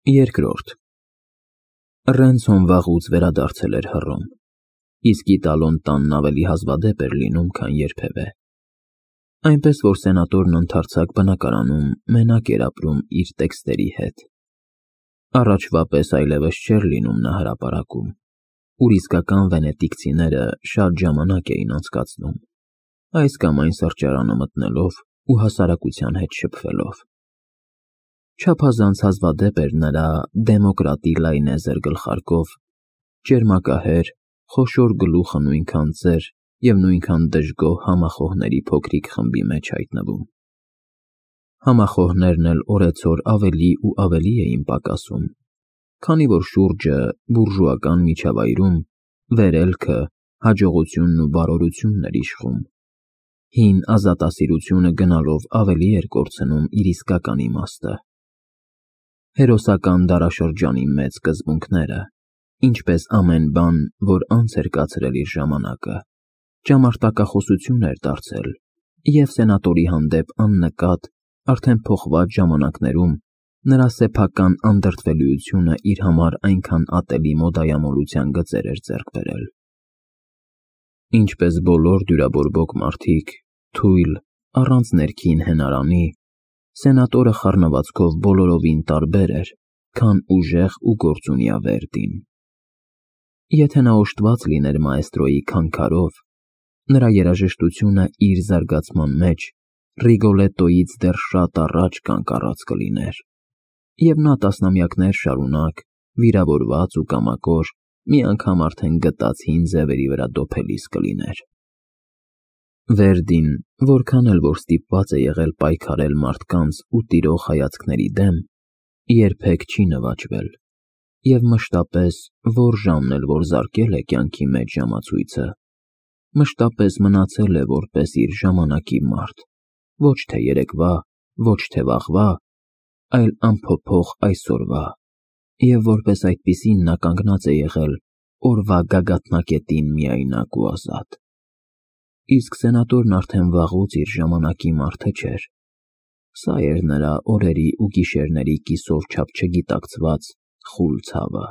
Երկրորդ Ռենցոն վաղուց վերադարձել էր հռոմ, իսկ Իտալոն տանն ավելի հազվադեպ էր լինում, քան երբևէ, այնպես որ սենատորն ընդարձակ բնակարանում մենակ էր ապրում իր տեքստերի հետ։ Առաջվա պես այլևս չէր լինում նա հրապարակում, ուր իսկական վենետիկցիները շատ ժամանակ էին անցկացնում, այս կամ այն սրճարանը մտնելով ու հասարակության հետ շփվելով։ Չափազանց հազվադեպ էր նրա դեմոկրատի լայնեզր գլխարկով ճերմակահեր, խոշոր գլուխը նույնքան ծեր և նույնքան դժգոհ համախոհների փոքրիկ խմբի մեջ հայտնվում։ Համախոհներն էլ օրեցօր ավելի ու ավելի էին պակասում, քանի որ շուրջը բուրժուական միջավայրում վերելքը, հաջողությունն ու բարօրությունն էր իշխում, հին ազատասիրությունը գնալով ավելի էր կորցնում իր իսկական իմաստը։ Հերոսական դարաշրջանի մեծ սկզբունքները, ինչպես ամեն բան, որ անց էր կացրել իր ժամանակը, ճամարտակախոսություն էր դարձել, և սենատորի հանդեպ աննկատ, արդեն փոխված ժամանակներում նրա սեփական անդրդվելիությունը իր համար այնքան ատելի մոդայամոլության գծեր էր ձեռք բերել։ Ինչպես բոլոր դյուրաբորբոք մարդիկ, թույլ, առանց ներքին հենարանի, սենատորը խառնվածքով բոլորովին տարբեր էր, քան ուժեղ ու գործունյա Վերդին։ Եթե նա օժտված լիներ մաեստրոյի քանքարով, նրա երաժշտությունը իր զարգացման մեջ Ռիգոլետոյից դեռ շատ առաջ կանկառած կլիներ, և նա տասնամյակներ շարունակ, վիրավորված ու կամակոր, մի անգամ արդեն գտած հին ձևերի վրա դոփելիս կլիներ։ Վերդին, որքան էլ որ ստիպված է եղել պայքարել մարդկանց ու տիրող հայացքների դեմ, երբեք չի նվաճվել, և մշտապես, որ ժամն էլ որ զարկել է կյանքի մեջ ժամացույցը, մշտապես մնացել է որպես իր ժամանակի մարդ, ոչ թե երեկվա, ոչ թե վաղվա, այլ անփոփոխ այսօրվա, և որպես այդպիսին նա կանգնած է եղել օրվա գագաթնակետին միայնակ ու ազատ։ Իսկ սենատորն արդեն վաղուց իր ժամանակի մարդը չէր։ Սա էր նրա օրերի ու գիշերների կիսով չափ չգիտակցված խուլ ցավը։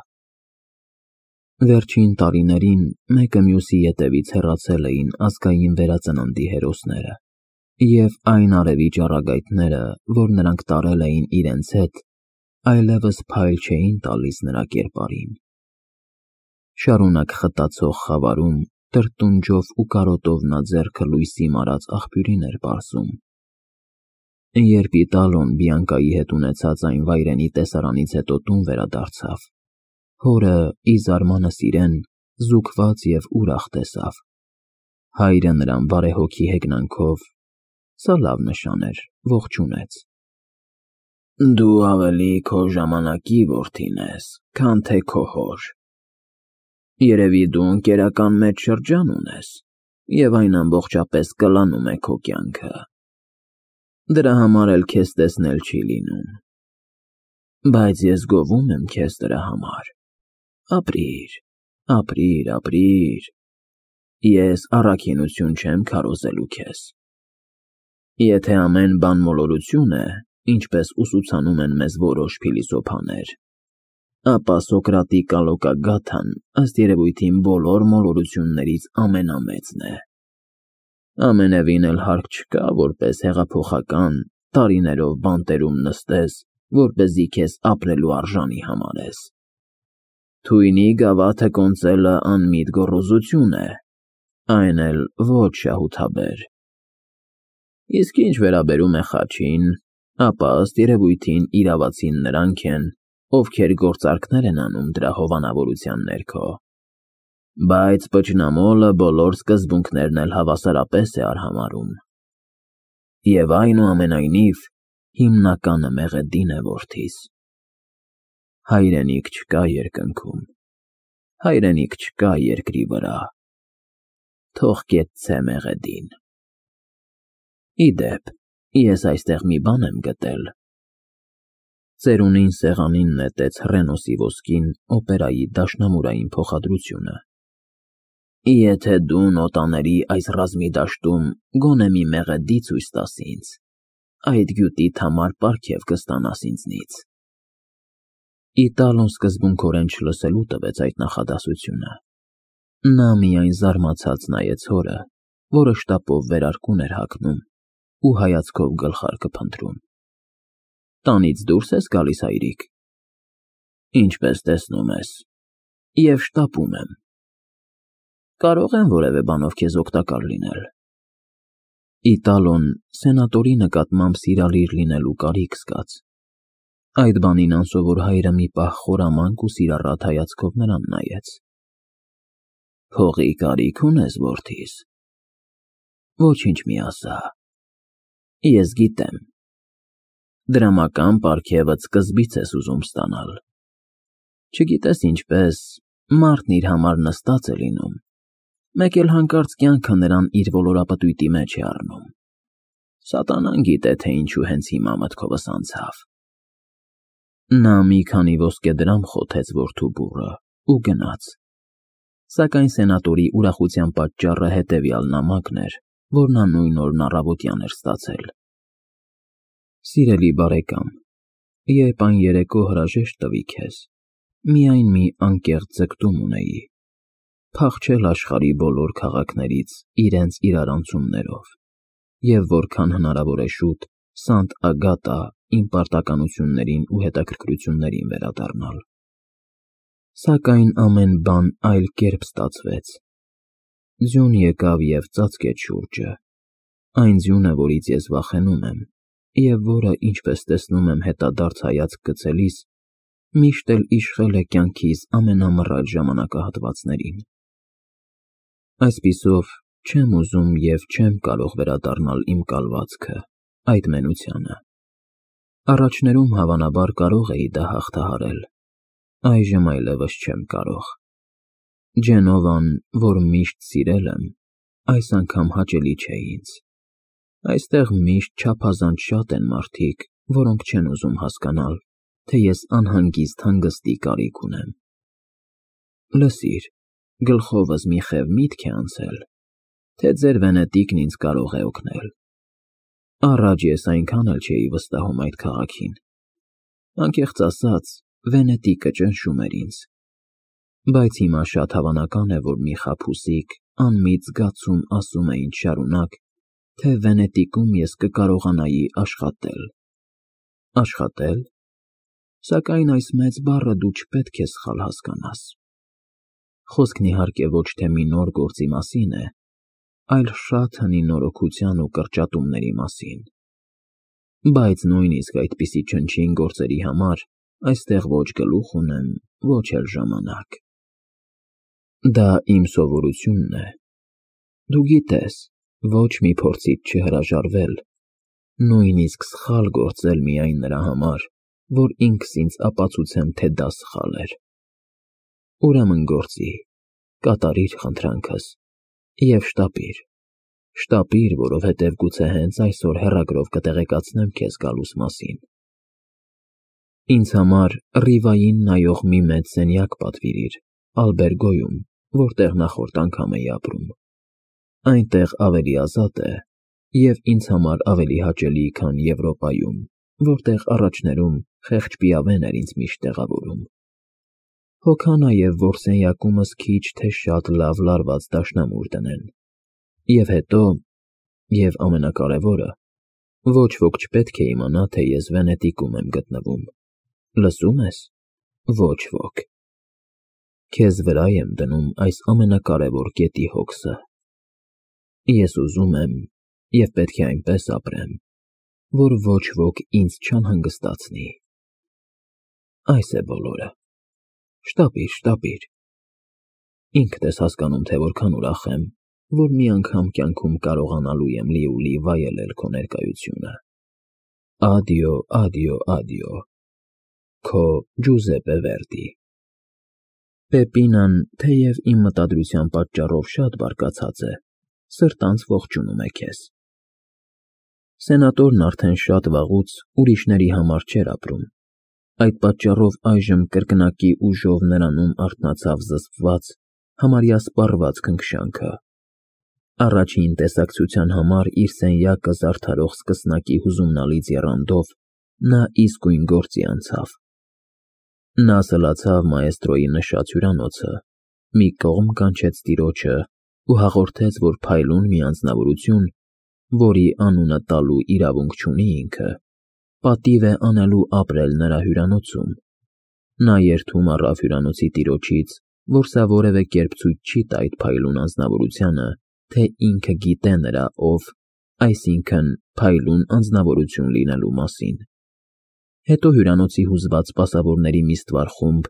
Վերջին տարիներին մեկը մյուսի ետևից հեռացել էին ազգային վերածննդի հերոսները, և այն արևի ճառագայթները, որ նրանք տարել էին իրենց հետ, այլևս փայլ չէին տալիս նրա կերպարին։ Շարունակ խտացող խավարում տրտունջով ու կարոտով նա ձեռքը լույսի մարած աղբյուրին էր պարզում։ Երբ Իտալոն Բիանկայի հետ ունեցած այն վայրենի տեսարանից հետո տուն վերադարձավ, հորը ի զարմանս իրեն զուգված և ուրախ տեսավ։ Հայրը նրան բարեհոգի հեգնանքով (սա լավ նշան էր) ողջունեց։ Դու ավելի քո ժամանակի որդին ես, քան թե քո հոր։ Երևի դու ընկերական մեծ շրջան ունես, և այն ամբողջապես կլանում է քո կյանքը։ Դրա համար էլ քեզ տեսնել չի լինում։ Բայց ես գովում եմ քեզ դրա համար։ Ապրիր, ապրիր, ապրիր։ Ես առաքինություն չեմ քարոզելու քեզ։ Եթե ամեն բան մոլորություն է, ինչպես ուսուցանում են մեզ որոշ փիլիսոփաներ, ապա Սոկրատի կալոկագաթան ըստ երևույթին բոլոր մոլորություններից ամենամեծն է։ Ամենևին էլ հարկ չկա, որպես հեղափոխական, տարիներով բանտերում նստես, որպեսզի քեզ ապրելու արժանի համարես։ Թույնի գավաթը կոնծելը անմիտ գոռոզություն է, այն էլ ոչ շահութաբեր։ Իսկ ինչ վերաբերում է խաչին, ապա ըստ երևույթին իրավացին նրանք են, ովքեր գործարքներ են անում դրա հովանավորության ներքո։ Բայց պճնամոլը բոլոր սկզբունքներն էլ հավասարապես է արհամարհում։ Եվ այնուամենայնիվ, հիմնականը մեղեդին է, որդիս։ Հայրենիք չկա երկնքում, հայրենիք չկա երկրի վրա, թող կեցցե մեղեդին։ Ի դեպ, ես այստեղ մի բան եմ գտել։ Ծերունին սեղանին նետեց հռենոսի ոսկին օպերայի դաշնամուրային փոխադրությունը։ Եթե դու նոտաների այս ռազմի դաշտում գոնե մի մեղեդի ցույց տաս ինձ, այդ գյուտիդ համար պարգև կստանաս ինձնից։ Իտալոն սկզբունքորեն չլսելու տվեց այդ նախադասությունը։ Նա միայն զարմացած նայեց հորը, որը շտապով վերարկուն էր հագնում ու հայացքով գլխարկը փնտրում։ Տանից դուրս ես գալիս, հայրիկ։ Ինչպես տեսնում ես, և շտապում եմ։ Կարող եմ որևէ բանով քեզ օգտակար լինել։ Իտալոն սենատորի նկատմամբ սիրալիր լինելու կարիք զգաց։ Այդ բանին անսովոր հայրը մի պահ խորամանկ ու սիրառատ հայացքով նրան նայեց։ Փողի կարիք ունես, որդիս։ Ոչինչ մի ասա։ Ես գիտեմ։ Դրամական պարգևդ սկզբից ես ուզում ստանալ։ Չգիտես ինչպես, մարդն իր համար նստած է լինում, մեկ էլ հանկարծ կյանքը նրան իր ոլորապտույտի մեջ է առնում։ Սատանան գիտե, թե ինչու հենց հիմա մտքովս անցավ։ Նա մի քանի ոսկեդրամ խոթեց որդու բուռը ու գնաց։ Սակայն սենատորի ուրախության պատճառը հետևյալ նամակն էր, որ նա նույն օրն առավոտյան էր ստացել։ Սիրելի բարեկամ, երբ այն երեկո հրաժեշտ տվի քեզ, միայն մի անկեղծ ձգտում ունեի՝ փախչել աշխարհի բոլոր քաղաքներից իրենց իրարանցումներով, և որքան հնարավոր է շուտ Սանտ Ագատա իմ պարտականություններին ու հետաքրքրություններին վերադառնալ։ Սակայն ամեն բան այլ կերպ ստացվեց։ Ձյուն եկավ և ծածկեց շուրջը, այն ձյունը, որից ես վախենում եմ, և որը, ինչպես տեսնում եմ հետադարձ հայացք գցելիս, միշտ էլ իշխել է կյանքիս ամենամռայլ ժամանակահատվածներին։ Այսպիսով, չեմ ուզում և չեմ կարող վերադառնալ իմ կալվածքը, այդ մենությանը։ Առաջներում հավանաբար կարող էի դա հաղթահարել, այժմ այլևս չեմ կարող։ Ջենովան, որ միշտ սիրել եմ, այս անգամ հաճելի չէ ինձ։ Այստեղ միշտ չափազանց շատ են մարդիկ, որոնք չեն ուզում հասկանալ, թե ես անհանգիստ հանգստի կարիք ունեմ։ Լսիր, գլխովս մի խև միտք է անցել, թե ձեր վենետիկն ինձ կարող է օգնել։ Առաջ ես այնքան էլ չէի վստահում այդ քաղաքին։ Անկեղծ ասած, Վենետիկը ճնշում էր ինձ։ Բայց հիմա շատ հավանական է, որ մի խաբուսիկ, անմիտ զգացում ասում է ինձ շարունակ, թե Վենետիկում ես կկարողանայի աշխատել։ Աշխատել։ Սակայն այս մեծ բառը դու չպետք է սխալ հասկանաս։ Խոսքն իհարկե ոչ թե մի նոր գործի մասին է, այլ շատ հնի նորոգության ու կրճատումների մասին։ Բայց նույնիսկ այդպիսի չնչին գործերի համար այստեղ ոչ գլուխ ունեմ, ոչ էլ ժամանակ։ Դա իմ սովորությունն է։ Դու գիտես, ոչ մի փորձից չհրաժարվել, նույնիսկ սխալ գործել միայն նրա համար, որ ինքս ինձ ապացուցեմ, թե դա սխալ էր։ Ուրեմն գործի, կատարիր խնդրանքս և շտապիր, որովհետև գուցե հենց այսօր հեռագրով կտեղեկացնեմ քեզ գալուս մասին։ Ինձ համար Ռիվային նայող մի մեծ սենյակ պատվիրիր Ալբերգոյում, որտեղ նախորդ անգամ էի ապրում։ Այնտեղ ավելի ազատ է և ինձ համար ավելի հաճելի, քան Եվրոպայում, որտեղ առաջներում խեղճ պիավեն էր ինձ միշտ տեղավորում։ Հոգա նաև, որ սենյակումս քիչ թե շատ լավ լարված դաշնամուր դնեն։ Եվ հետո, և ամենակարևորը, ոչ ոք չպետք է իմանա, թե ես Վենետիկում եմ գտնվում։ Լսո՞ւմ ես։ Ոչ ոք։ Քեզ վրա եմ դնում այս ամենակարևոր կետի հոգսը։ Ես ուզում եմ և պետք է այնպես ապրեմ, որ ոչ ոք ինձ չանհանգստացնի։ Այս է բոլորը։ Շտապիր։ Ինքդ ես հասկանում, թե որքան ուրախ եմ, որ մի անգամ կյանքում կարողանալու եմ լիովին վայելել քո ներկայությունը։ Ադիո։ Քո Ջուզեպպե Վերդի։ Պեպինան, թեև իմ մտադրության պատճառով շատ բարկացած է, սրտանց ողջունում է քեզ։ Սենատորն արդեն շատ վաղուց ուրիշների համար չէր ապրում։ Այդ պատճառով այժմ կրկնակի ուժով նրանում արթնացավ զսպված, համարյա սպառված քնքշանքը։ Առաջին տեսակցության համար իր սենյակը զարդարող սկսնակի հուզումնալից եռանդով նա իսկույն գործի անցավ։ Նա սլացավ մաեստրոյի նշած հյուրանոցը, մի կողմ կանչեց տիրոջը ու հաղորդեց, որ փայլուն մի անձնավորություն, որի անունը տալու իրավունք չունի ինքը, պատիվ է անելու ապրել նրա հյուրանոցում։ Նա երդում առավ հյուրանոցի տիրոջից, որ սա որևէ կերպ ցույց չի տա այդ փայլուն անձնավորությանը, թե ինքը գիտե նրա ով, այսինքն փայլուն անձնավորություն լինելու մասին։ Հետո հյուրանոցի հուզված սպասավորների մի ստվար խումբ,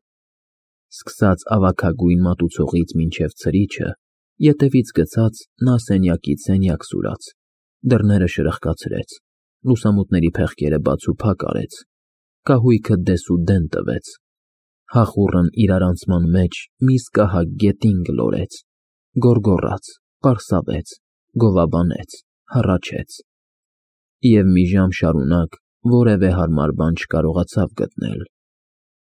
սկսած ավագագույն մատուցողից մինչև ցրիչը, ետևից գցած նա սենյակից սենյակ սուրաց, դռները շրխկացրեց, լուսամուտների փեղկերը բաց ու փակ արեց, կահույքը դեսուդեն տվեց, հախուռն իրարանցման մեջ մի սկահակ գետին գլորեց, գոռգոռաց, պարսավեց, գովաբանեց, հառաչեց, և մի ժամ շարունակ որևէ հարմար բան չկարողացավ գտնել։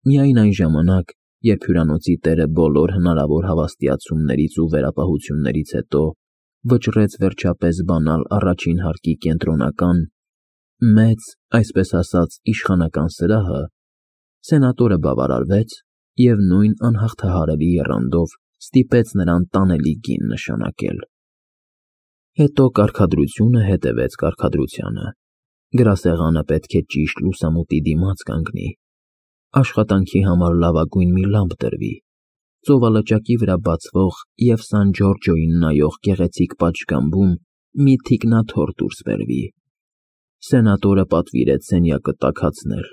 Միայն այն ժամանակ, երբ հյուրանոցի տերը բոլոր հնարավոր հավաստիացումներից ու վերապահություններից հետո վճռեց վերջապես բանալ առաջին հարկի կենտրոնական, մեծ, այսպես ասած, իշխանական սրահը, սենատորը բավարարվեց և նույն անհաղթահարելի եռանդով ստիպեց նրան տանելի գին նշանակել։ Հետո կարգադրությունը հետևեց կարգադրությանը։ Գրասեղանը պետք է ճիշտ լուսամուտի դիմաց կանգնի, աշխատանքի համար լավագույն մի լամպ դրվի, ծովալճակի վրա բացվող և Սան Ջորջոյին նայող գեղեցիկ պատշգամբում մի թիկնաթոռ դուրս բերվի։ Սենատորը պատվիրեց սենյակը տաքացնել,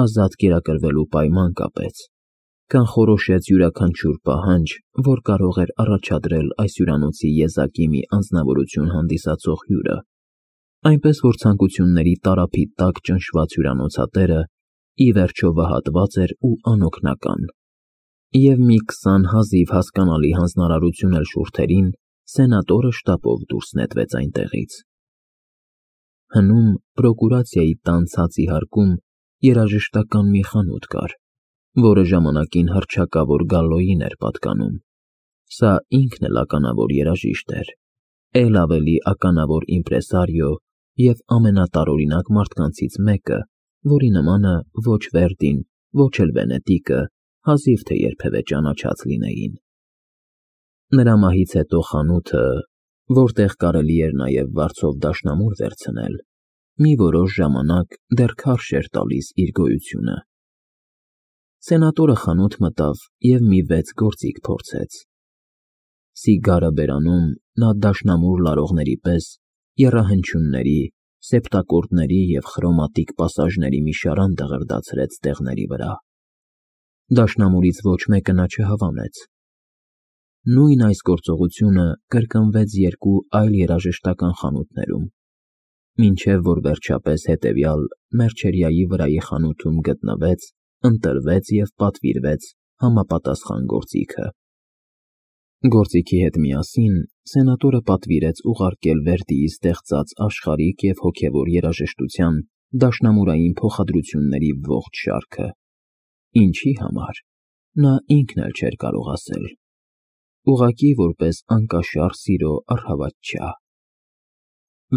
ազատ կերակրվելու պայման կապեց, կանխորոշեց յուրաքանչյուր պահանջ, որ կարող էր առաջադրել այս հյուրանոցի եզակի մի անձնավորություն հանդիսացող հյուրը, այնպես որ ցանկությունների տարափի տակ ճնշված հյուրանոցատերը ի վերջո վհատված էր ու անօգնական, և մի 20 հազիվ հասկանալի հանձնարարություն էլ շուրթերին սենատորը շտապով դուրս նետվեց այնտեղից։ Հնում պրոկուրացիայի տան ցածի հարկում երաժշտական մի խանութ կար, որը ժամանակին հռչակավոր Գալլոյին էր պատկանում։ Սա ինքն էլ ականավոր երաժիշտ էր, էլ ավելի ականավոր իմպրեսարիո և ամենատարօրինակ մարդկանցից մեկը, որի նմանը ոչ Վերդին, ոչ էլ Վենետիկը հազիվ թե երբևէ ճանաչած լինեին։ Նրա մահից հետո խանութը, որտեղ կարելի էր նաև վարձով դաշնամուր վերցնել, մի որոշ ժամանակ դեռ քարշ էր տալիս իր գոյությունը։ Սենատորը խանութ մտավ և մի 6 գործիք փորձեց։ Սիգարը բերանում նա դաշնամուր լարողների պես եռահնչյունների, սեպտակորդների և խրոմատիկ պասաժների մի շարան դղրդացրեց ստեղների վրա։ Դաշնամուրից ոչ մեկը նա չհավանեց։ Նույն այս գործողությունը կրկնվեց 2 այլ երաժշտական խանութներում, մինչև որ վերջապես հետևյալ Մերջերիայի վրայի խանութում գտնվեց, ընտրվեց և պատվիրվեց համապատասխան գործիքը։ Գործիքի հետ միասին սենատորը պատվիրեց ուղարկել Վերդիի ստեղծած աշխարհիկ և հոգևոր երաժշտության դաշնամուրային փոխադրությունների ողջ շարքը։ Ինչի համար, նա ինքն էլ չէր կարող ասել, ուղղակի որպես անկաշառ սիրո առհավատչյա։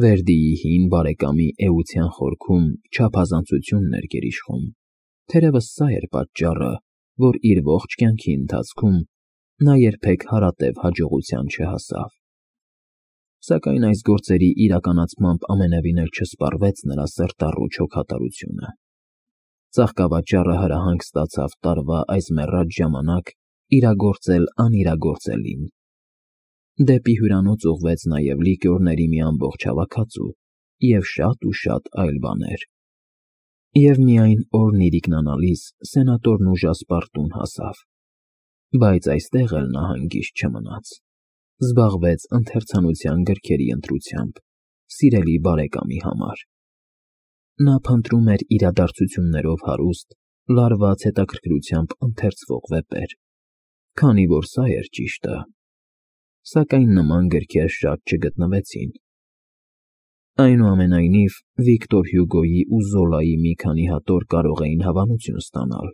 Վերդիի հին բարեկամի էության խորքում չափազանցությունն էր գերիշխում, թերևս սա էր պատճառը, որ իր ողջ կյանքի ընթացքում նա երբեք հարատև հաջողության չհասավ։ Սակայն այս գործերի իրականացմամբ ամենևին էլ չսպառվեց նրա սրտառու չոքատարությունը։ Ծաղկավաճառը հրահանգ ստացավ տարվա այս մեռած ժամանակ իրագործել անիրագործելին։ Դեպի հյուրանոց ուղղվեց նաև լիկյորների մի ամբողջ հավաքածու և շատ այլ բաներ։ Եվ միայն օրն իրիկնանալիս սենատորն ուժասպառ տուն հասավ։ Բայց այստեղ էլ նա հանգիստ չմնաց։ Զբաղվեց ընթերցանության գրքերի ընտրությամբ սիրելի բարեկամի համար։ Նա փնտրում էր իրադարձություններով հարուստ, լարված հետաքրքրությամբ ընթերցվող վեպեր, քանի որ սա էր ճիշտը։ Սակայն նման գրքեր շատ չգտնվեցին։ Այնուամենայնիվ, Վիկտոր Հյուգոյի ու Զոլայի մի քանի հատոր կարող էին հավանություն ստանալ։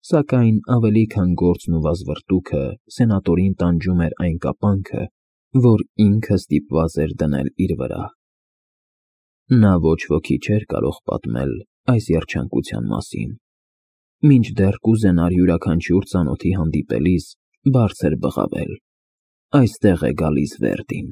Սակայն ավելի քան գործն ու վազվռտուքը սենատորին տանջում էր այն կապանքը, որ ինքը ստիպված էր դնել իր վրա։ Նա ոչ ոքի չէր կարող պատմել այս երջանկության մասին, Մինչդեռ կուզենար յուրաքանչյուր ծանոթի հանդիպելիս բարձր բղավել. «Այստեղ է գալիս Վերդին»։